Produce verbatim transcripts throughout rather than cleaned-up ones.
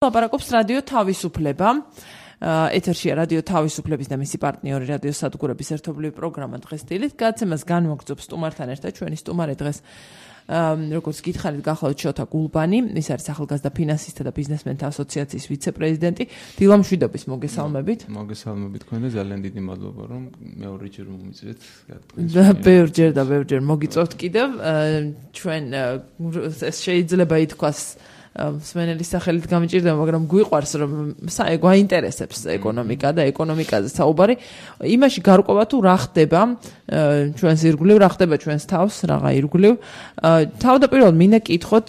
ლაპარაკობს რადიო თავისუფლება. ეთერშია რადიო თავისუფლების და მისი პარტნიორი რადიო სადგურების ერთობლივი პროგრამა დღეს დილით. გადაცემას განმოგრძობს სტუმართან ერთად ჩვენი სტუმარი დღეს როგორც გითხარით გახლავთ შოთა გულბანი, ის არის ახალგაზრდა ფინანსისტთა და ბიზნესმენთა ასოციაციის ვიცე-პრეზიდენტი. დილა მშვიდობის, მოგესალმებით. მოგესალმებით თქვენ და ძალიან დიდი მადლობა რომ მეორე ჯერ მომიწვიეთ. და ბევრჯერ და ბევრჯერ მოგიწევთ კიდევ. ჩვენ ეს შეიძლება ითქვას მსმენელის სახელით გამიჭირდება, მაგრამ გვიყვარს რომ გვაინტერესებს ეკონომიკა და ეკონომიკაზე საუბარი. იმაში გარკვევა თუ რა ხდება ჩვენს ირგვლივ, რა ხდება ჩვენს თავს, რაღა ირგვლივ. თავდაპირველად მინდა კითხოთ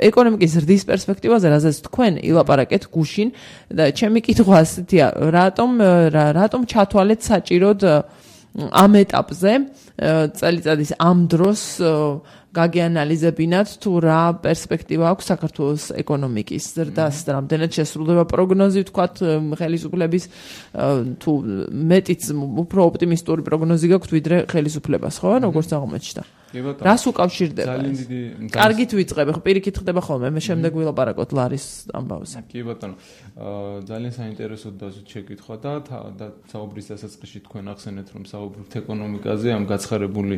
ეკონომიკის ზრდის პერსპექტივაზე, რაზეც თქვენ ილაპარაკეთ გუშინ და ჩემი კითხვა ასეთია, რატომ რატომ ჩათვალეთ საჭიროდ ამ ეტაპზე წელიწადის ამ დროს გაგეანალიზებინათ თუ რა პერსპექტივა აქვს საქართველოს ეკონომიკის ზრდას და რამდენად შესრულდება პროგნოზი, ვთქვათ, ხელისუფლების თუ მეტიც უფრო ოპტიმისტური პროგნოზი გაქვთ ვიდრე ხელისუფლებას, ხო? როგორც აღმოჩნდა. რას უკავშირდება? ძალიან დიდი კარგით ვიწყებ, ხო, პირიქით ხდება ხოლმე, მე შემდეგ ვილაპარაკოთ ლარის ამბავზე. კი ბატონო, ძალიან საინტერესო დასვით შეკითხვა და საუბრის დასაწყისში თქვენ ახსენეთ რომ საუბრობთ ეკონომიკაზე, ამ გაცხარებული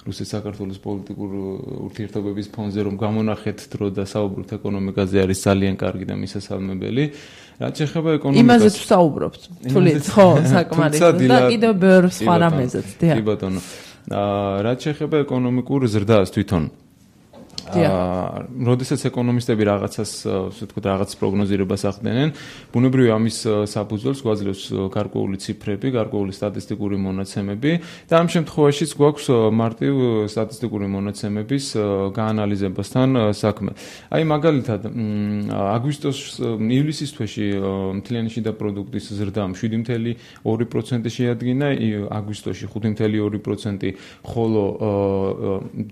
რუსეთ-საქართველოს პოლიტიკურ ურთიერთობების ფონზე რომ გამონახეთ დრო და საუბრობთ ეკონომიკაზე არის ძალიან კარგი და მისასალმებელი. რაც შეეხება ეკონომიკას, იმაზე თუ საუბრობთ, თulit, ხო, საკმარისად და კიდევ ბევრ სხვა რამეზეც, დიახ. კი ბატონო. რაც შეეხება ეკონომიკურ ზრდას თვითონ. როდესაც ეკონომისტები რაღაცას, ასე ვთქვათ, რაღაც პროგნოზირებას ახდენენ, ბუნებრივია ამის საფუძველს გვაძლევს გარკვეული ციფრები, გარკვეული სტატისტიკური მონაცემები და ამ შემთხვევაშიც გვაქვს მარტივ სტატისტიკური მონაცემების გაანალიზებასთან საქმე. აი მაგალითად, აგვისტოს ივლისის თვეში მთლიანი შიდა პროდუქტის ზრდა შვიდი ფاصლე ორი პროცენტი შეადგინა, აგვისტოში ხუთი ფاصლე ორი პროცენტი, ხოლო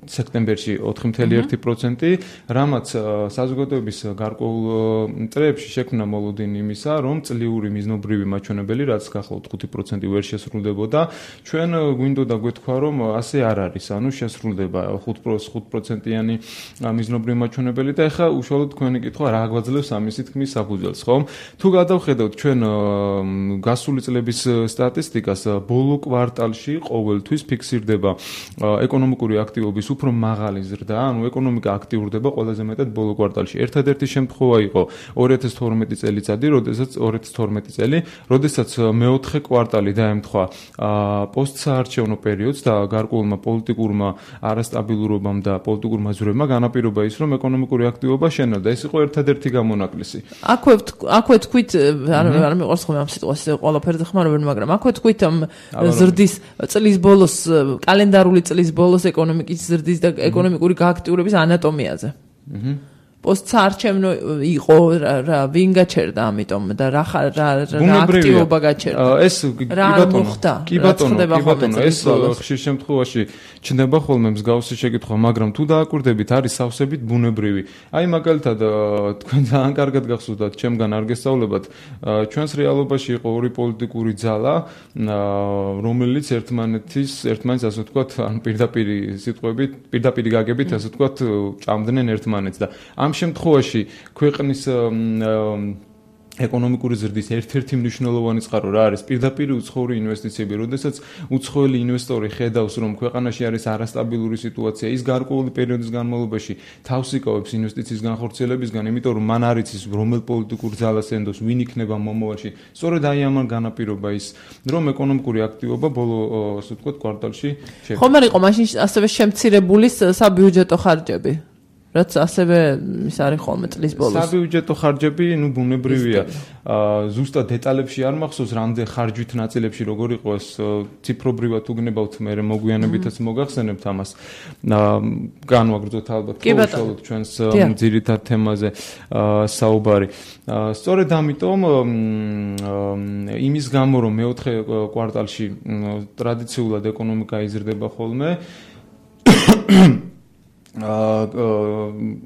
სექტემბერში ოთხი ფاصლე ერთი პროცენტი, რამაც საზოგადოების გარკვეულ წრეებში შექმნა მოლოდინი იმისა, რომ წლიური მიზნობრივი მაჩვენებელი, რაც გახლავთ ხუთი პროცენტი ვერ შესრულდებოდა, ჩვენ გვინდოდა გვეთქვა, რომ ასე არ არის, ანუ შესრულდება ხუთი პროცენტიანი მიზნობრივი მაჩვენებელი და ეხლა უშუალოდ თქვენი კითხვა რა გვაძლევს ამისი თქმის საფუძველს, ხო? თუ გადავხედავთ ჩვენ გასული წლების სტატისტიკას, ბოლო კვარტალში ყოველთვის ფიქსირდება ეკონომიკური აქტივობის უფრო მაღალი ზრდა, ანუ ეკონომიკა აქტიურდება ყველაზე მეტად ბოლო კვარტალში. ერთადერთი შემთხვევა იყო ორი ათას თორმეტი წელიწადი, როდესაც ორი ათას თორმეტი წელი, როდესაც მეოთხე კვარტალი დაემთხვა პოსტსაარჩევნო პერიოდს და გარკვეულმა პოლიტიკურმა არასტაბილურობამ და პოლიტიკურმა ზვრებმა განაპირობა ის, რომ ეკონომიკური აქტივობა შენელდა. ეს იყო ერთადერთი გამონაკლისი. აქვე აქვე თქვით, არ მიყვარს ხოლმე ამ სიტყვას ყველაფერზე ხმარობენ, მაგრამ აქვე თქვით ზრდის წლის ბოლოს, კალენდარული წლის ბოლოს ეკონომიკის ზრდის და ეკონომიკური გააქტიურების ანატომიაზე. აჰა. პოსტსაარჩევნო იყო რა ვინ გაჩერდა ამიტომ და რა რა აქტივობა გაჩერდა. ეს კი ბატონო, კი ბატონო, კი ბატონო, ეს ხშირ შემთხვევაში ჩნდება ხოლმე მსგავსი შეკითხვა, მაგრამ თუ დააკვირდებით, არის სავსებით ბუნებრივი. აი მაგალითად თქვენ ძალიან კარგად გახსოვდათ, ჩემგან არ გესწავლებათ, ჩვენს რეალობაში იყო ორი პოლიტიკური ძალა, რომელიც ერთმანეთის ერთმანეთს ასე ვთქვათ, ან პირდაპირი სიტყვებით, პირდაპირი გაგებით ასე ვთქვათ, ჭამდნენ ერთმანეთს და ამ შემთხვევაში ქვეყნის ეკონომიკური ზრდის ერთ-ერთი მნიშვნელოვანი წყარო რა არის? პირდაპირი უცხოური ინვესტიციები, როდესაც უცხოელი ინვესტორი ხედავს, რომ ქვეყანაში არის არასტაბილური სიტუაცია, ის გარკვეული პერიოდის განმავლობაში თავს იკავებს ინვესტიციის განხორციელებისგან, იმიტომ რომ მან არ იცის რომელ პოლიტიკურ ძალას ენდოს, ვინ იქნება მომავალში. სწორედ აი ამან განაპირობა ის, რომ ეკონომიკური აქტივობა ბოლო, ასე ვთქვათ, კვარტალში შექმნა. ხომ არ იყო მაშინ ასევე შემცირებული საბიუჯეტო ხარჯები? რაც ასევე ის არის ხოლმე წლის ბოლოს. საბიუჯეტო ხარჯები, ნუ ბუნებრივია. ზუსტად დეტალებში არ მახსოვს, რამდენ ხარჯვით ნაწილებში როგორ იყო ეს ციფრობრივად უგნებავთ, მე მოგვიანებითაც მოგახსენებთ ამას. განვაგრძოთ ალბათ უშუალოდ ჩვენს ძირითად თემაზე საუბარი. სწორედ ამიტომ იმის გამო, რომ მეოთხე კვარტალში ტრადიციულად ეკონომიკა იზრდება ხოლმე,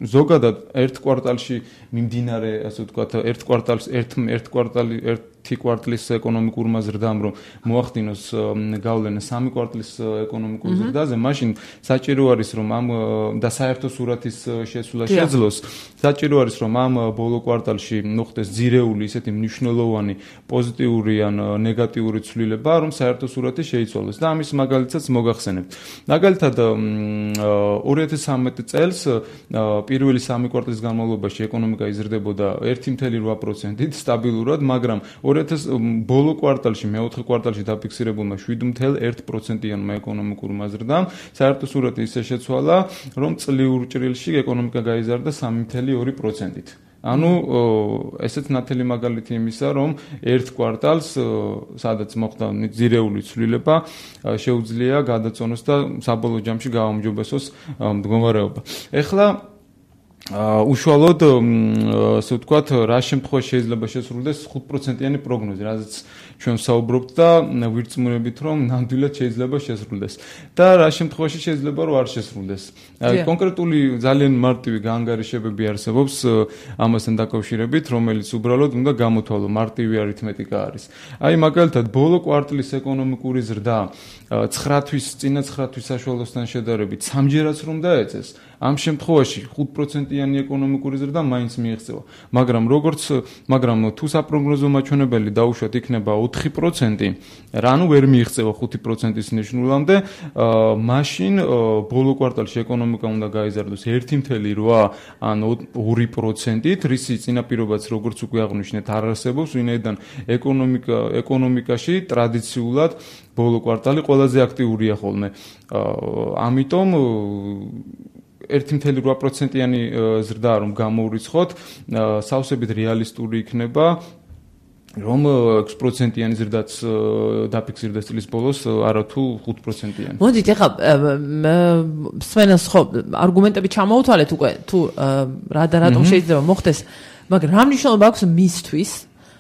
ზოგადად ერთ კვარტალში მიმდინარე, ასე ვთქვათ, ერთ კვარტალს ერთ ერთ კვარტალი ერთ ერთი კვარტლის ეკონომიკურმა ზრდამ რომ მოახდინოს გავლენა სამი კვარტლის ეკონომიკურ ზრდაზე, მაშინ საჭირო არის რომ ამ და საერთო სურათის შესულა შეძლოს. საჭირო არის რომ ამ ბოლო კვარტალში მოხდეს ძირეული ისეთი მნიშვნელოვანი პოზიტიური ან ნეგატიური ცვლილება, რომ საერთო სურათი შეიცვალოს და ამის მაგალითსაც მოგახსენებთ. მაგალითად ორი ათას სამი წელს პირველი სამი კვარტლის განმავლობაში ეკონომიკა იზრდებოდა ერთი ათეული რვა პროცენტით სტაბილურად, მაგრამ ორი ათასი ბოლო კვარტალში, მეოთხე კვარტალში დაფიქსირებულმა შვიდ ათეული ერთი პროცენტიანმა ეკონომიკურმა ზრდამ საერთო სურათი ისე შეცვალა, რომ წლიურ ჭრილში ეკონომიკა გაიზარდა სამი ათეული ორი პროცენტით. ანუ ესეც ნათელი მაგალითი იმისა, რომ ერთ კვარტალს, სადაც მოხდა ძირეული ცვლილება, შეუძლია გადაწონოს და საბოლოო ჯამში გააუმჯობესოს მდგომარეობა. ეხლა უშუალოდ ასე ვთქვათ, რა შემთხვევაში შეიძლება შესრულდეს ხუთ პროცენტიანი პროგნოზი, რაზეც ჩვენ საუბრობთ და ვირწმუნებით, რომ ნამდვილად შეიძლება შესრულდეს. და რა შემთხვევაში შეიძლება რომ არ შესრულდეს. კონკრეტული ძალიან მარტივი გაანგარიშებები არსებობს ამასთან დაკავშირებით, რომელიც უბრალოდ უნდა გამოთვალო, მარტივი არითმეტიკა არის. აი მაგალითად, ბოლო კვარტლის ეკონომიკური ზრდა ცხრა თვის წინა ცხრა თვის საშუალოსთან შედარებით სამჯერაც რომ დაეწეს, ამ შემთხვევაში ხუთ პროცენტიანი ეკონომიკური ზრდა მაინც მიიღწევა. მაგრამ როგორც მაგრამ თუ საპროგნოზო მაჩვენებელი დაუშვათ იქნება ოთხი პროცენტი, რანუ ვერ მიიღწევა ხუთი პროცენტის ნიშნულამდე, მაშინ ბოლო კვარტალში ეკონომიკა უნდა გაიზარდოს ერთი ათეული რვა ან ორი პროცენტით, რისი წინაპირობაც როგორც უკვე აღვნიშნეთ არ არსებობს, ვინაიდან ეკონომიკა ეკონომიკაში ტრადიციულად ბოლო კვარტალი ყველაზე აქტიურია ხოლმე. ამიტომ ერთი ათეული რვა პროცენტიანი ზრდა რომ გამოვრიცხოთ, სავსებით რეალისტური იქნება, რომ ექვსი პროცენტიანი ზრდაც დაფიქსირდეს წლის ბოლოს, არათუ ხუთ პროცენტიანი. მოდით, ეხლა სვენას ხო არგუმენტები ჩამოუთვალეთ უკვე, თუ რა და რატომ შეიძლება მოხდეს, მაგრამ რა მნიშვნელობა აქვს მისთვის,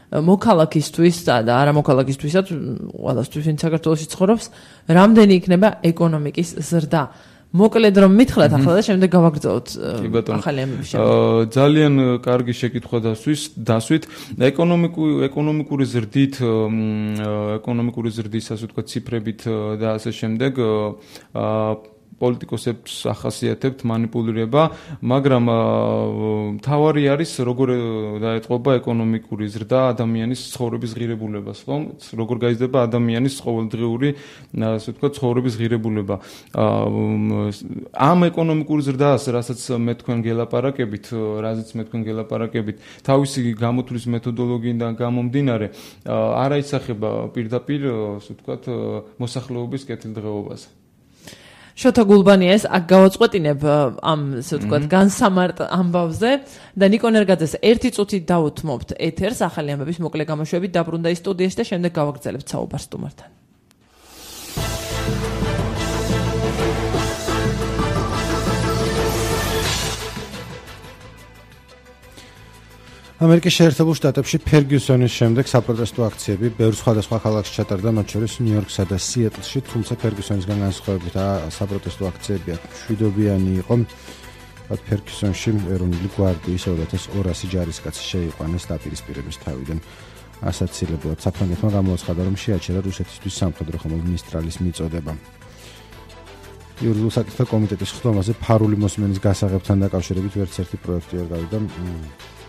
მოქალაქისთვის და არა მოქალაქისთვისაც, ყველასთვის, ვინც საქართველოში ცხოვრობს, რამდენი იქნება ეკონომიკის ზრდა. მოკლედ რომ მითხრათ ახლა და შემდეგ გავაგრძელოთ ახალი ამბების შემდეგ. ძალიან კარგი შეკითხვა დასვით. ეკონომიკური ეკონომიკური ზრდით, ეკონომიკური ზრდის ასე ვთქვათ ციფრებით და ასე შემდეგ პოლიტიკოსებს ახასიათებთ манипуლირება, მაგრამ თავარი არის როგორ დაეტყობა ეკონომიკური ზრდა ადამიანის ცხოვრების ღირებულებას, ხომ? როგორ გაიზრდება ადამიანის ყოველდღიური, ასე ვთქვათ, ცხოვრების ღირებულება. ამ ეკონომიკური ზრდას, რასაც მე თქვენ გელაპარაკებით, რაზეც მე თქვენ გელაპარაკებით, თავისი გამოთვლის მეთოდოლოგიიდან გამომდინარე, არ აისახება პირდაპირ, ასე ვთქვათ, მოსახლეობის კეთილდღეობაზე. შოთა გულბანია ეს აქ გავაწყვეტინებ ამ ასე ვთქვათ განსამარტ ამბავზე და ნიკო ნერგაძეს ერთი წუთით დაუთმობთ ეთერს ახალი ამბების მოკლე გამოშვებით დაბრუნდა ის სტუდიაში და შემდეგ გავაგრძელებთ საუბარს სტუმართან. ამერიკის შეერთებულ შტატებში ფერგიუსონის შემდეგ საპროტესტო აქციები ბევრ სხვადასხვა ქალაქში ჩატარდა, მათ შორის ნიუ-იორკსა და სიეტლში, თუმცა ფერგიუსონისგან განსხვავებით საპროტესტო აქციები აქ მშვიდობიანი იყო. ფერგიუსონში ეროვნული გვარდიის ორი ათას ორასი ჯარისკაცი შეიყვანეს დაპირისპირების თავიდან. ასაცილებლად საფრანგეთმა გამოაცხადა, რომ შეაჩერა რუსეთისთვის სამხედრო ხმოვანისტრალის მიწოდება. იურიდიულ საკითხთა კომიტეტის ხდომაზე ფარული მოსმენის გასაღებთან დაკავშირებით ვერც ერთი პროექტი არ გავიდა.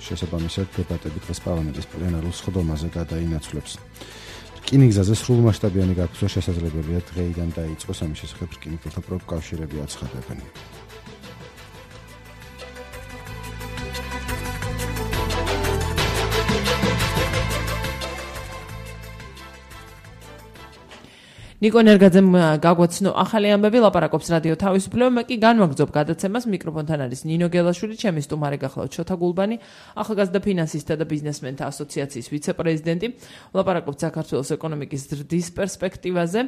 შესაბამისად დებატები დღეს პარლამენტის პლენარულ სხდომაზე გადაინაცვლებს. რკინიგზაზე სრულმასშტაბიანი გაფიცვა შესაძლებელია დღეიდან დაიწყოს, ამის შესახებ რკინიგზათა პროფკავშირები აცხადებენ. ნიკო ნერგაძემ გაგვაცნო ახალი ამბები, ლაპარაკობს რადიო თავისუფლება, მე კი განვაგრძობ გადაცემას, მიკროფონთან არის ნინო გელაშვილი, ჩემი სტუმარი გახლავთ შოთა გულბანი, ახალგაზრდა ფინანსისტთა და ბიზნესმენთა ასოციაციის ვიცე-პრეზიდენტი. ვლაპარაკობთ საქართველოს ეკონომიკის ზრდის პერსპექტივაზე.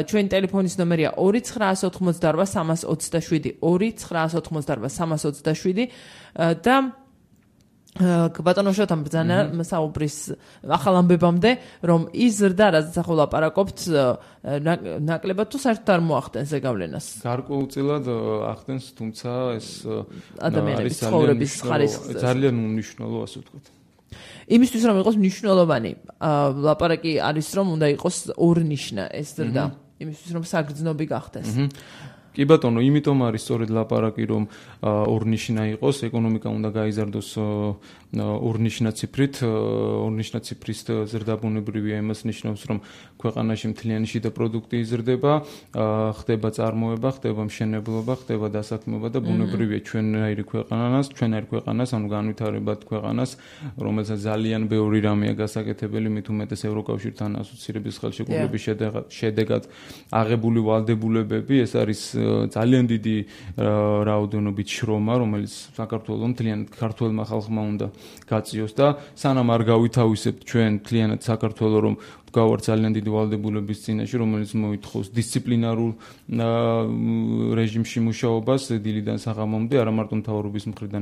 ჩვენი ტელეფონის ნომერია ორი ცხრაას ოთხმოცდარვა სამას ოცდაშვიდი, ორი ცხრაას ოთხმოცდარვა სამას ოცდაშვიდი და ბატონო შოთამ ბრძანა საუბრის ახალ ამბებამდე, რომ ის ზრდა, რაზეც ახლა ვლაპარაკობთ, ნაკლებად თუ საერთოდ არ მოახდენს ზეგავლენას. გარკვეულწილად ახდენს, თუმცა ეს ადამიანების ცხოვრების ხარისხს ძალიან უმნიშვნელო, ასე ვთქვათ. იმისთვის რომ იყოს მნიშვნელოვანი, ლაპარაკი არის რომ უნდა იყოს ორნიშნა ეს ზრდა, იმისთვის რომ საგრძნობი გახდეს. კი ბატონო, იმიტომ არის სწორედ ლაპარაკი რომ ორნიშნა იყოს, ეკონომიკა უნდა გაიზარდოს ორნიშნა ციფრით, ორნიშნა ციფრის ზრდაბუნებრივია იმას ნიშნავს, რომ ქვეყანაში მთლიანი შიდა პროდუქტი იზრდება, ხდება წარმოება, ხდება მშენებლობა, ხდება დასაქმება და ბუნებრივია ჩვენაირი ქვეყანას, ჩვენაირი ქვეყანას, ანუ განვითარებად ქვეყანას, რომელსაც ძალიან ბევრი რამეა გასაკეთებელი, მით უმეტეს ევროკავშირთან ასოცირების ხელშეკრულების შედეგად აღებული ვალდებულებები, ეს არის ძალიან დიდი რაოდენობით შრომა, რომელიც საქართველოს მთლიანად ქართველმა ხალხმა უნდა გაწიოს და სანამ არ გავითავისებთ ჩვენ მთლიანად საქართველოს რომ გავარ ძალიან დიდი ვალდებულების წინაშე, რომელიც მოითხოვს დისციპლინარულ რეჟიმში მუშაობას დილიდან საღამომდე, არა მარტო მთავრობის მხრიდან,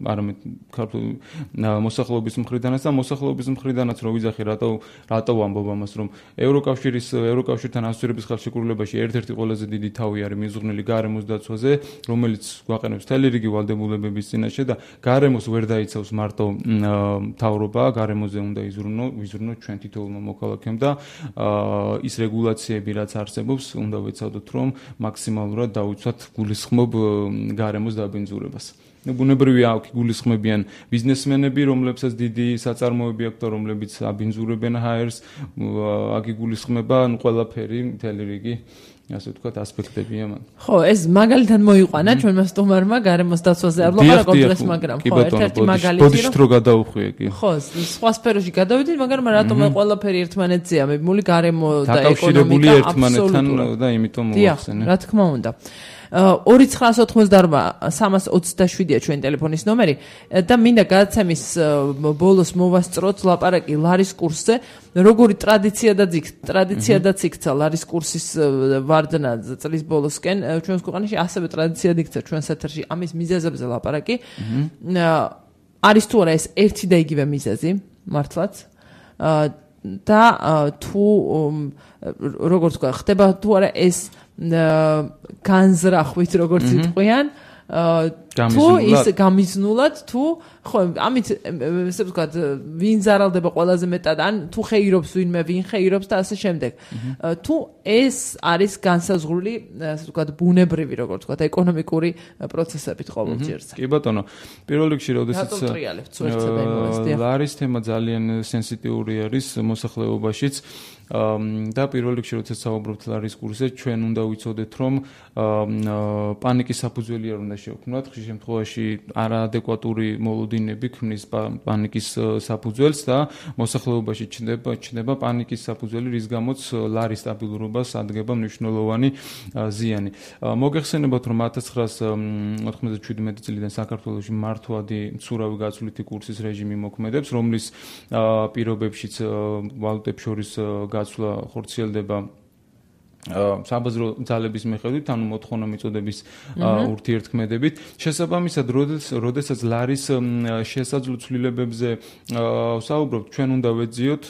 არამედ ქართული მოსახლეობის მხრიდანაც და მოსახლეობის მხრიდანაც რო ვიძახი, რატო რატო ვამბობ ამას, რომ ევროკავშირის ევროკავშირთან ასოცირების ხელშეკრულებაში ერთ-ერთი ყველაზე დიდი თავი არის მიზღვნილი გარემოს დაცვაზე, რომელიც გვაყენებს მთელი რიგი ვალდებულებების წინაშე და გარემოს ვერ დაიცავს მარტო მთავრობა, გარემოზე უნდა იზრუნო, ვიზრუნოთ ჩვენ თითოეულმა მოქალაქემ და ის რეგულაციები რაც არსებობს, უნდა ვეცადოთ რომ მაქსიმალურად დავიცვათ გულისხმობ გარემოს დაბინძურებას. ბუნებრივია აქ გულისხმებიან ბიზნესმენები, რომლებსაც დიდი საწარმოები აქვთ და რომლებიც აბინძურებენ ჰაერს, აქ გულისხმება ანუ ყველაფერი, მთელი რიგი ასე ვთქვათ ასპექტებია მან. ხო, ეს მაგალითად მოიყვანა ჩვენმა სტუმარმა გარემოს დაცვაზე არ ლაპარაკობ დღეს, მაგრამ ხო, ერთ-ერთი მაგალითი რომ გადავხვიე კი. ხო, სხვა სფეროში გადავიდით, მაგრამ რატომ ყველაფერი ერთმანეთზეა მიბმული გარემო და ეკონომიკა აბსოლუტურად და იმიტომ მოახსენე. რა თქმა უნდა. ორი ცხრაას ოთხმოცდაორმა სამას ოცდაშვიდია ჩვენი ტელეფონის ნომერი და მინდა გადაცემის ბოლოს მოვასწროთ ლაპარაკი ლარის კურსზე, როგორი ტრადიცია და ტრადიცია და იქცა ლარის კურსის ვარდნა წლის ბოლოსკენ ჩვენს ქვეყანაში ასევე ტრადიცია იქცა ჩვენს ეთერში ამის მიზეზებზე ლაპარაკი. არის თუ არა ეს ერთი და იგივე მიზეზი მართლაც და თუ როგორც თქვა ხდება თუ არა ეს განზრახვით როგორც იტყვიან თუ ის გამიზნულად თუ ხო ამით ესე ვთქვათ ვინ ზარალდება ყველაზე მეტად ან თუ ხეირობს ვინმე ვინ ხეირობს და ასე შემდეგ თუ ეს არის განსაზღვრული ასე ვთქვათ ბუნებრივი როგორც ვთქვათ ეკონომიკური პროცესებით ყოველჯერზე. კი ბატონო, პირველ რიგში როდესაც ლარის თემა ძალიან სენსიტიური არის მოსახლეობაშიც და პირველ რიგში როდესაც საუბრობთ ლარის კურსზე, ჩვენ უნდა ვიცოდეთ რომ პანიკის საფუძველი არ უნდა შევქმნათ, ხშირ შემთხვევაში არაადეკვატური მოლოდინები ქმნის პანიკის საფუძველს და მოსახლეობაში ჩნდება ჩნდება პანიკის საფუძველი, რის გამოც ლარის სტაბილურობას ადგება მნიშვნელოვანი ზიანი. მოგეხსენებათ რომ ათას ცხრაას ოთხმოცდაშვიდმეტი წლიდან საქართველოში მართვადი მცურავი გაცვლითი კურსის რეჟიმი მოქმედებს, რომლის პირობებშიც ვალუტებს შორის გაცვლა ხორციელდება საბაზრო ძალების მიხედვით, ანუ მოთხოვნა მიწოდების ურთიერთქმედებით. შესაბამისად, როდესაც ლარის შესაძლო ცვლილებებზე საუბრობთ, ჩვენ უნდა ვეძიოთ,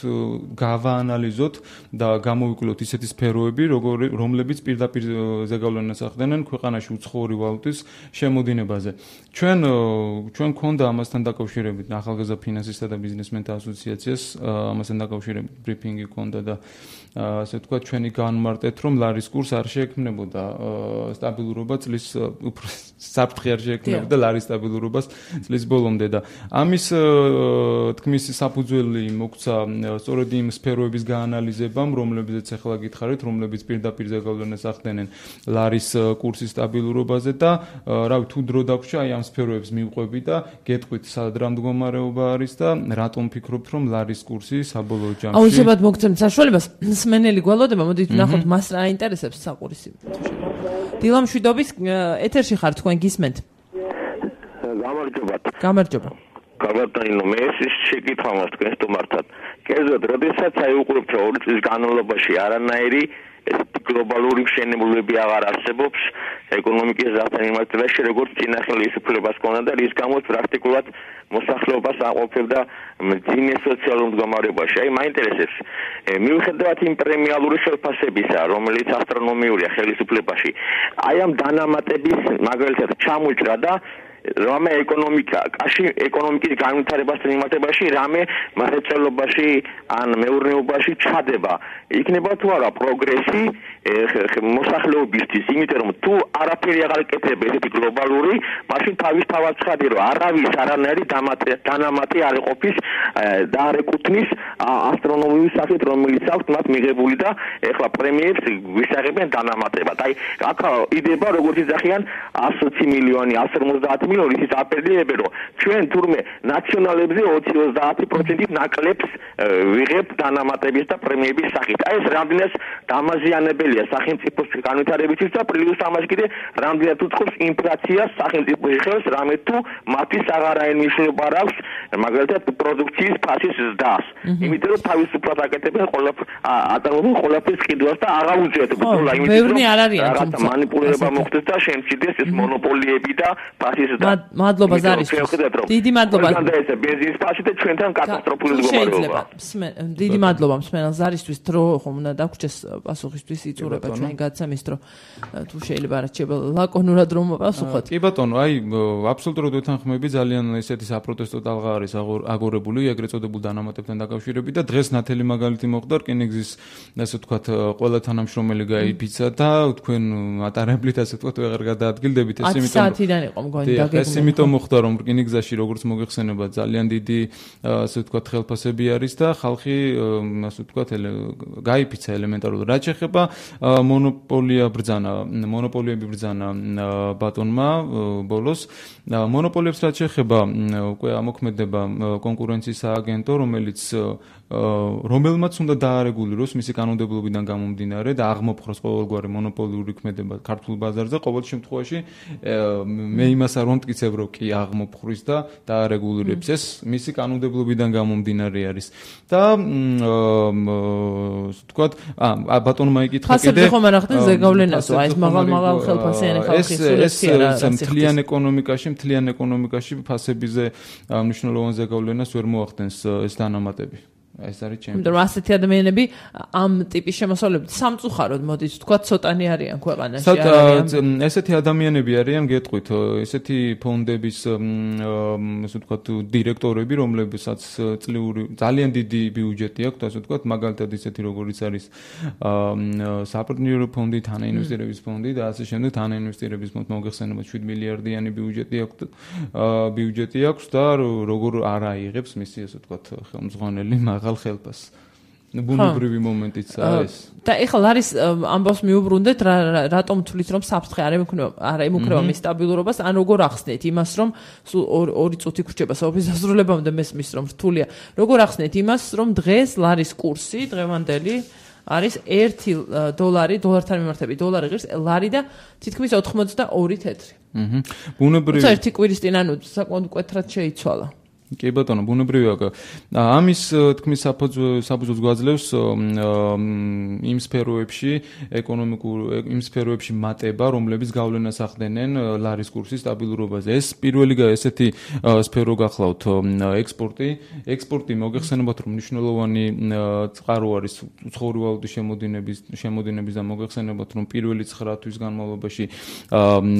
გავაანალიზოთ და გამოვიკვლიოთ ისეთი სფეროები, რომლებიც პირდაპირ ზეგავლენას ახდენენ ქვეყანაში უცხოური ვალუტის შემოდინებაზე. ჩვენ ჩვენ გქონდა ამასთან დაკავშირებით ახალგაზრდა ფინანსისტთა და ბიზნესმენთა ასოციაციას, ამასთან დაკავშირებით ბრიფინგი გქონდა და ასე ვთქვათ, ჩვენი განმარტეთ რომ ლარის კურს არ შეექმნებოდა სტაბილურობა წლის უფრო საფრთხე არ შეექმნებოდა ლარის სტაბილურობას წლის ბოლომდე და ამის თქმის საფუძველი მოგვცა სწორედ იმ სფეროების გაანალიზებამ, რომლებზეც ახლა გითხარით, რომლებიც პირდაპირ ზეგავლენას ახდენენ ლარის კურსის სტაბილურობაზე და რავი თუ დრო დაგვჭა აი ამ სფეროებს მივყვები და გეტყვით სად რა მდგომარეობა არის და რატომ ფიქრობთ რომ ლარის კურსი საბოლოო ჯამში აუცილებლად მოგცემთ საშუალებას სმენელი გვალოდება, მოდით ვნახოთ მას რა აინტერესებს საყურისი. დილა მშვიდობის ეთერში ხარ თქვენ გისმენთ. გამარჯობათ. გამარჯობა. გაბატონო, მე ეს შეკითხვა მაქვს თქვენ სტუმართან. კერძოდ, როდესაც აი უყურებთ ორი წლის განმავლობაში არანაირი გლობალური მშენებლობები აღარ არსებობს ეკონომიკის ზრდასთან მიმართებაში, როგორც წინა ხელისუფლებას ჰქონდა და რის გამოც პრაქტიკულად მოსახლეობას აყოფებდა მძიმე სოციალურ მდგომარეობაში. აი მაინტერესებს, მიუხედავად იმ პრემიალური ხელფასებისა, რომელიც ასტრონომიურია ხელისუფლებაში, აი ამ დანამატების მაგალითად ჩამოჭრა და რამე ეკონომიკა, კაში ეკონომიკის განვითარებასთან მიმართებაში რამე მრეწველობაში ან მეურნეობაში ჩადება. იქნება თუ არა პროგრესი მოსახლეობისთვის, იმიტომ რომ თუ არაფერი აღარ იკეთება ესეთი გლობალური, მაშინ თავისთავად ცხადი რომ არავის არანაირი დანამატი არ იყოფის და არ ეკუთვნის ასტრონომიული სახით, რომელიც აქვს მათ მიღებული და ეხლა პრემიებს ვისაღებენ დანამატებად. აი, აქ იდება როგორც იძახიან εκατო ოცი მილიონი, εκατო ორმოცდაათი მილიონი, ის აპერდიებენ რომ ჩვენ თურმე ნაციონალებზე ოცი ოცდაათი პროცენტით ნაკლებს ვიღებთ დანამატების და პრემიების სახით. აი ეს რამდენად დამაზიანებელია სახელმწიფოს განვითარებისთვის და პლუს ამას კიდე რამდენად უწყობს ინფლაციას სახელმწიფოში ხელს, რამე თუ მათთვის აღარაერთი მნიშვნელობა არ აქვს მაგალითად პროდუქციის ფასის ზრდას. იმიტომ რომ თავისუფლად აკეთებენ ყველა ატარებენ ყველაფერს ყიდვას და აღარ უძიათ ბრძოლა, იმიტომ რომ რაღაცა მანიპულირება მოხდეს და შემცირდეს ეს მონოპოლიები და ფასის ზრდა. მადლობა ზარისთვის. დიდი მადლობა. ეს ბენზინის ფასი და ჩვენთან კატასტროფული მდგომარეობა. დიდი მადლობა მსმენელს ზარისთვის, დრო ხომ უნდა დაგვრჩეს პასუხისთვის იწურება ჩვენი გადაცემის დრო. თუ შეიძლება არჩება ლაკონურად რომ პასუხოთ. კი ბატონო, აი აბსოლუტურად ვეთანხმები, ძალიან ესეთი საპროტესტო ტალღა არის აგორებული ეგრეთ წოდებულ დანამატებთან დაკავშირებით და დღეს ნათელი მაგალითი მოხდა რკინიგზის ასე ვთქვათ ყველა თანამშრომელი გაიფიცა და თქვენ ატარებლით ასე ვთქვათ ვეღარ გადაადგილდებით ეს იმიტომ საათიდან იყო მგონი დაგეგმილი. ეს იმიტომ მოხდა რომ რკინიგზაში როგორც მოგეხსენება ძალიან დიდი ასე ვთქვათ ხელფასები არის და ხალხი ასე ვთქვათ გაიფიცა ელემენტარულად. რაც შეეხება მონოპოლია ბრძანა, მონოპოლიები ბრძანა ბატონმა ბოლოს. მონოპოლიებს რაც შეეხება უკვე ამოქმედება კონკურენციის სააგენტო, რომელიც რომელმაც უნდა დაარეგულიროს მისი კანონმდებლობიდან გამომდინარე და აღმოფხვრას ყოველგვარი მონოპოლიური ქმედება ქართულ ბაზარზე. ყოველ შემთხვევაში მე იმას არ ვამტკიცებ, რომ კი აღმოფხვრის და დაარეგულირებს. ეს მისი კანონმდებლობიდან გამომდინარე არის. და ვთქვათ, ა ბატონმა იკითხა კიდე ხომ არ ახდენ ზეგავლენასო, აი ეს მაღალ-მაღალ ხელფასიანი ხალხი სულეთი არა. ეს მთლიან ეკონომიკაში, მთლიან ეკონომიკაში ფასებიზე მნიშვნელოვან ზეგავლენას ვერ მოახდენს ეს დანამატები. ეს არის ჩემი. იმიტომ რომ ასეთი ადამიანები ამ ტიპის შემოსავლებით სამწუხაროდ მოდით ვთქვათ ცოტანი არიან ქვეყანაში. არიან. ესეთი ადამიანები არიან, გეტყვით, ესეთი ფონდების ასე ვთქვათ დირექტორები, რომლებსაც წლიური ძალიან დიდი ბიუჯეტი აქვს, ასე ვთქვათ, მაგალითად ისეთი როგორიც არის საპარტნიორო ფონდი, თანაინვესტირების ფონდი და ასე შემდეგ, თანაინვესტირების ფონდ მოგეხსენება შვიდ მილიარდიანი ბიუჯეტი აქვს, ბიუჯეტი აქვს და როგორ არ აიღებს მისი ასე ვთქვათ ხელმძღვანელი მაღალ ხელფას. ბუნებრივი მომენტიც არის. და ეხლა არის ამბავს მიუბრუნდეთ, რატომ თulit რომ საფრთხე არ ემუქრება, არ ემუქრება მის სტაბილურობას, ან როგორ ახსნეთ იმას, რომ ორი წუთი გრჩება სოფლის დასრულებამდე მესმის რომ რთულია. როგორ ახსნეთ იმას, რომ დღეს ლარის კურსი დღევანდელი არის ერთი დოლარი, დოლართან მიმართებით დოლარი ღირს, ლარი და თითქმის ოთხმოცდაორი თეთრი. აჰა. ბუნებრივი. თუმცა ერთი კვირის წინ ანუ საკმაოდ მკვეთრად შეიცვალა. კი ბატონო, ბუნებრივია. ამის თქმის საფუძველს გვაძლევს იმ სფეროებში, ეკონომიკურ იმ სფეროებში მატება, რომლებიც გავლენას ახდენენ ლარის კურსის სტაბილურობაზე. ეს პირველი ესეთი სფერო გახლავთ ექსპორტი. ექსპორტი მოგეხსენებათ, რომ მნიშვნელოვანი წყარო არის უცხოური ვალუტის შემოდინების შემოდინების და მოგეხსენებათ, რომ პირველი ცხრა თვის განმავლობაში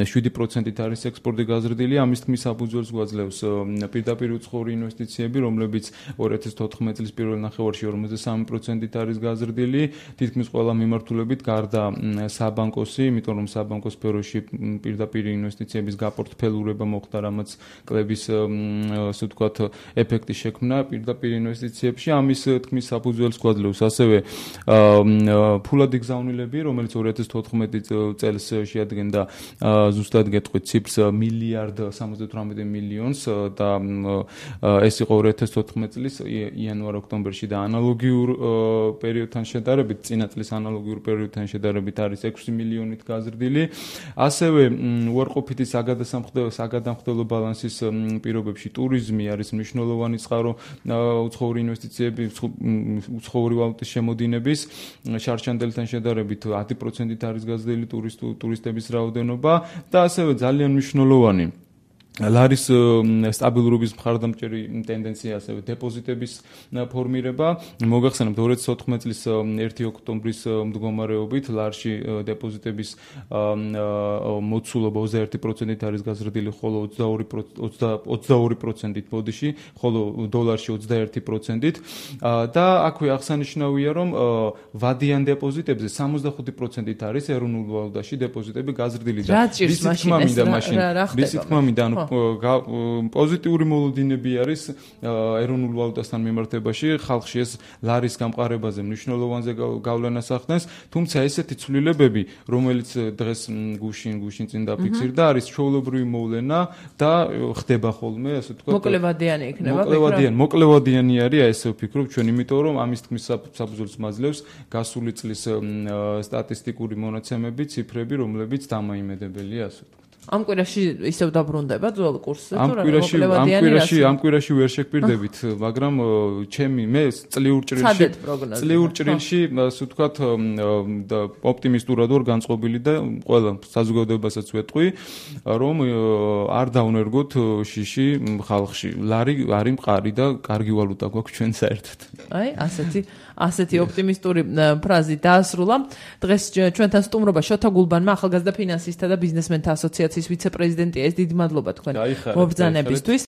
შვიდი პროცენტით არის ექსპორტი გაზრდილი. ამის თქმის საფუძველს გვაძლევს პირდაპირ უცხო ინვესტიციები, რომლებიც ორი ათას თოთხმეტ წლის პირველ ნახევარში ორმოცდასამი პროცენტით არის გაზრდილი, თითქმის ყველა მიმართულებით გარდა საბანკოსი, იმიტომ რომ საბანკო სფეროში პირდაპირ ინვესტიციების გაპორტფელურება მოხდა, რამაც კლების ასე ვთქვათ ეფექტი შექმნა პირდაპირ ინვესტიციებში. ამის თქმის საფუძველს გვაძლევს ასევე ფულადი გზავნილები, რომელიც ორი ათას თოთხმეტ წელს შეადგენდა ზუსტად გეტყვით ციფრს მილიარდ სამოცდათვრამეტ მილიონს და ეს იყო ორი ათას თოთხმეტ წლის იანვარ-ოქტომბერში და ანალოგიურ პერიოდთან შედარებით, წინა წლის ანალოგიურ პერიოდთან შედარებით არის ექვსი მილიონით გაზრდილი. ასევე უარყოფითი საგადამხდელო ბალანსის პირობებში ტურიზმი არის მნიშვნელოვანი წყარო უცხოური ინვესტიციები, უცხოური ვალუტის შემოდინების შარშანდელთან შედარებით ათი პროცენტით არის გაზრდილი ტურისტების რაოდენობა და ასევე ძალიან მნიშვნელოვანი ლარის სტაბილურობის მხარდამჭერი ტენდენცია, ასევე დეპოზიტების ფორმირება. მოგახსენებთ ორი ათი ოთხმეტი წლის ერთი ოქტომბრის მდგომარეობით ლარში დეპოზიტების მოცულობა ოცდაერთი პროცენტით არის გაზრდილი, ხოლო ოცდაორი პროცენტით ბოდიში, ხოლო დოლარში ოცდაერთი პროცენტით. და აქვე აღსანიშნავია, რომ ვადიან დეპოზიტებზე სამოცდახუთი პროცენტით არის ეროვნულ ვალუტაში დეპოზიტები გაზრდილი და რის თქმა მინდა მაშინ რის თქმა მინდა ანუ პოზიტიური მოლოდინები არის ეროვნულ ვალუტასთან მიმართებაში, ხალხში ეს ლარის გამყარებაზე მნიშვნელოვანზე გავლენას ახდენს, თუმცა ესეთი ცვლილებები, რომელიც დღეს გუშინ გუშინ წინ დაფიქსირდა, არის ჩვეულებრივი მოვლენა და ხდება ხოლმე, ასე ვთქვათ. მოკლევადიანი იქნება. მოკლევადიანი, მოკლევადიანი არის, ესე ვფიქრობ ჩვენ, იმიტომ რომ ამის თქმის საფუძველს მაძლევს გასული წლის სტატისტიკური მონაცემები, ციფრები, რომლებიც დამაიმედებელია, ასე ვთქვათ. ამ კვირაში ისევ დაბრუნდება ძველ კურსზე, თუ რა მოკლევადიანი ამ კვირაში ამ კვირაში ვერ შეგპირდებით, მაგრამ ჩემი მე წლიურ ჭრილში წლიურ ჭრილში, ასე ვთქვათ, ოპტიმისტურად ვარ განწყობილი და ყველა საზოგადოებასაც ვეთყვი, რომ არ დავნერგოთ შიში ხალხში. ლარი არის მყარი და კარგი ვალუტა გვაქვს ჩვენ საერთოდ. აი, ასეთი ასეთი ოპტიმისტური ფრაზი დაასრულა. დღეს ჩვენთან სტუმრობა შოთა გულბანმა, ახალგაზრდა ფინანსისტთა და ბიზნესმენთა ასოციაციის ვიცე-პრეზიდენტია. ეს დიდი მადლობა თქვენ მობრძანებისთვის.